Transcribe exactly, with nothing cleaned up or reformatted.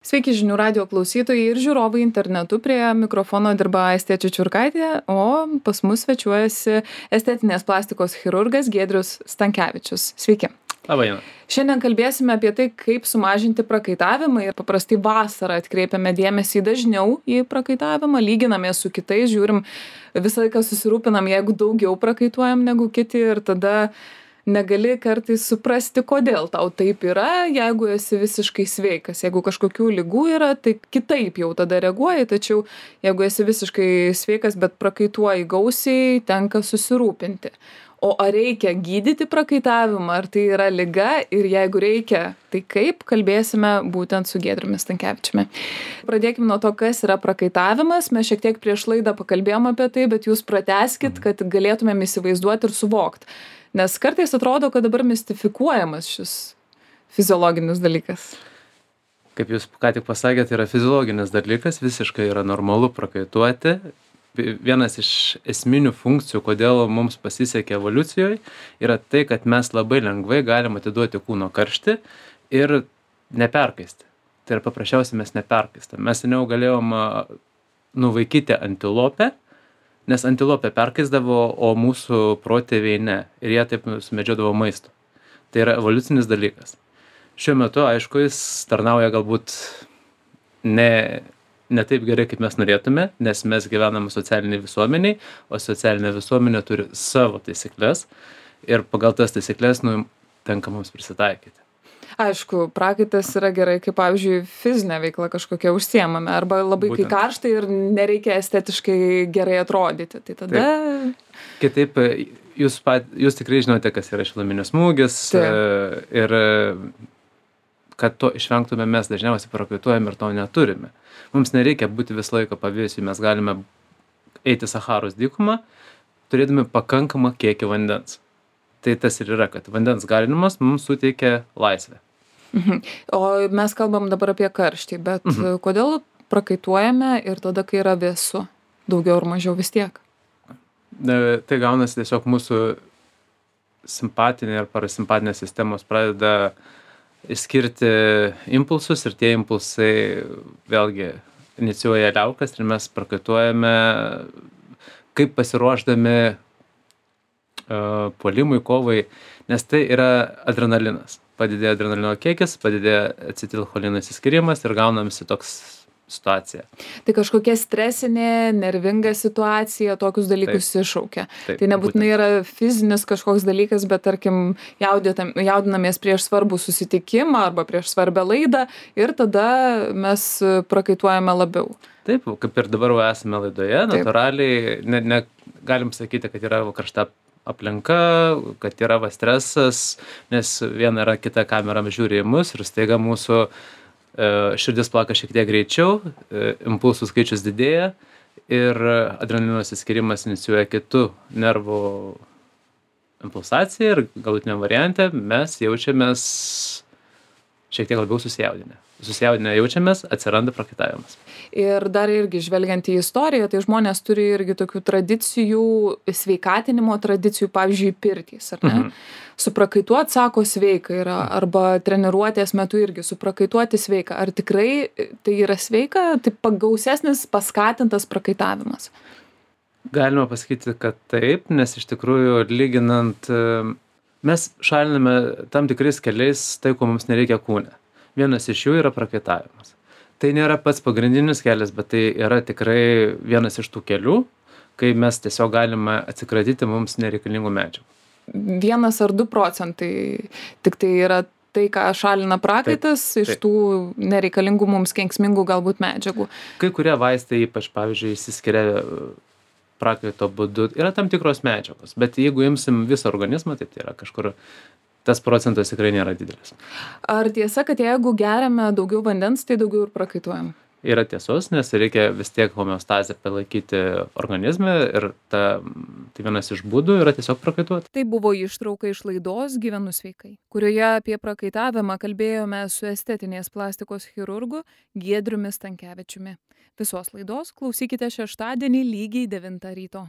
Sveiki žinių radijo klausytojai ir žiūrovai internetu. Prie mikrofono dirba Aistė Čičiurkaitė, o pas mus svečiuojasi estetinės plastikos chirurgas Giedrius Stankevičius. Sveiki. Labą dieną. Šiandien kalbėsime apie tai, kaip sumažinti prakaitavimą, ir paprastai vasarą atkreipiame dėmesį dažniau į prakaitavimą, lyginamės su kitais, žiūrim, visą laiką susirūpinam, jeigu daugiau prakaituojam negu kiti, ir tada negali kartais suprasti, kodėl tau taip yra, jeigu esi visiškai sveikas. Jeigu kažkokių ligų yra, tai kitaip jau tada reaguoji, tačiau jeigu esi visiškai sveikas, bet prakaituoji gausiai, tenka susirūpinti. O ar reikia gydyti prakaitavimą, ar tai yra liga, ir jeigu reikia, tai kaip, kalbėsime būtent su Giedriumi Stankevičiumi. Pradėkime nuo to, kas yra prakaitavimas. Mes šiek tiek prieš laidą pakalbėjom apie tai, bet jūs pratęskit, kad galėtumėm įsivaizduoti ir suvokti. Nes kartais atrodo, kad dabar mistifikuojamas šis fiziologinis dalykas. Kaip jūs ką tik pasakėte, yra fiziologinis dalykas, visiškai yra normalu prakaituoti. Vienas iš esminių funkcijų, kodėl mums pasisekė evoliucijoje, yra tai, kad mes labai lengvai galim atiduoti kūno karštį ir neperkaisti. Tai yra paprasčiausiai mes neperkaistam. Mes seniau galėjom nuvaikyti antilopę, nes antilopė perkaisdavo, o mūsų protėviai ne. Ir jie taip sumedžiodavo maisto. Tai yra evoliucinis dalykas. Šiuo metu, aišku, jis tarnauja galbūt ne... ne taip gerai, kaip mes norėtume, nes mes gyvename socialiniai visuomeniai, o socialinė visuomenė turi savo taisyklės ir pagal tas taisyklės, nu, tenka mums prisitaikyti. Aišku, prakaitas yra gerai, kaip, pavyzdžiui, fizinė veikla kažkokia užsiemame, arba labai Būtent. Kai karšta ir nereikia estetiškai gerai atrodyti. Tai tada... Taip. Kitaip, jūs, pat, jūs tikrai žinote, kas yra šiluminis smūgis. Taip. Ir kad to išvengtume, mes dažniausiai prakaituojam ir to neturime. Mums nereikia būti visą laiką pavėsiui, mes galime eiti Saharos dykumą, turėdami pakankamą kiekį vandens. Tai tas ir yra, kad vandens galinimas mums suteikia laisvę. Mhm. O mes kalbam dabar apie karštį, bet mhm. kodėl prakaituojame ir tada, kai yra vėsu, daugiau ar mažiau vis tiek? Tai gaunasi tiesiog mūsų simpatinė ir parasimpatinė sistemos pradeda išskirti impulsus, ir tie impulsai vėlgi inicijuoja liaukas ir mes prakaituojame kaip pasiruošdami uh, puolimui, kovai, nes tai yra adrenalinas. Padidėja adrenalino kiekis, padidėja acetilcholino išsiskyrimas ir gaunamasi toks situacija. Tai kažkokia stresinė, nervinga situacija tokius dalykus Taip. Iššaukia. Taip, tai nebūtinai būtent. Yra fizinis kažkoks dalykas, bet tarkim jaudinamės prieš svarbų susitikimą arba prieš svarbę laidą ir tada mes prakaituojame labiau. Taip, kaip ir dabar esame laidoje, Taip. Natūraliai, ne, ne, galim sakyti, kad yra karšta aplinka, kad yra va stresas, nes viena yra kita kamera žiūri į mus ir staiga mūsų širdis plaka šiek tiek greičiau, impulsų skaičius didėja ir adrenalino išsiskyrimas inicijuoja kitų nervų impulsaciją ir galutiniam variante mes jaučiamės šiek tiek labiau susijaudinę. Susijaudinę jaučiamės, atsiranda prakaitavimas. Ir dar irgi žvelgiant į istoriją, tai žmonės turi irgi tokių tradicijų, sveikatinimo tradicijų, pavyzdžiui, pirtys, ar ne? Mhm. Suprakaituot, sako, sveika yra, arba treniruotės metu irgi suprakaituoti sveika. Ar tikrai tai yra sveika, tai pagausesnis, paskatintas prakaitavimas? Galima pasakyti, kad taip, nes iš tikrųjų lyginant, mes šaliname tam tikrais keliais tai, ko mums nereikia kūne. Vienas iš jų yra prakaitavimas. Tai nėra pats pagrindinis kelias, bet tai yra tikrai vienas iš tų kelių, kai mes tiesiog galime atsikratyti mums nereikalingų medžiagų. Vienas ar du procentai tik tai yra tai, ką šalina prakaitas taip, taip. Iš tų nereikalingų mums kenksmingų galbūt medžiagų. Kai kurie vaistai, ypač pavyzdžiui, išsiskiria prakaito būdu, yra tam tikros medžiagos, bet jeigu imsim visą organizmą, tai tai yra kažkur tas procentas tikrai nėra didelis. Ar tiesa, kad jeigu geriame daugiau vandens, tai daugiau ir prakaituojam? Yra tiesos, nes reikia vis tiek homeostazę palaikyti organizme ir ta, tai vienas iš būdų yra tiesiog prakaituoti. Tai buvo ištrauka iš laidos Gyvenu sveikai, kurioje apie prakaitavimą kalbėjome su estetinės plastikos chirurgu Giedriumi Stankevičiumi. Visos laidos klausykite šeštadienį lygiai devintą ryto.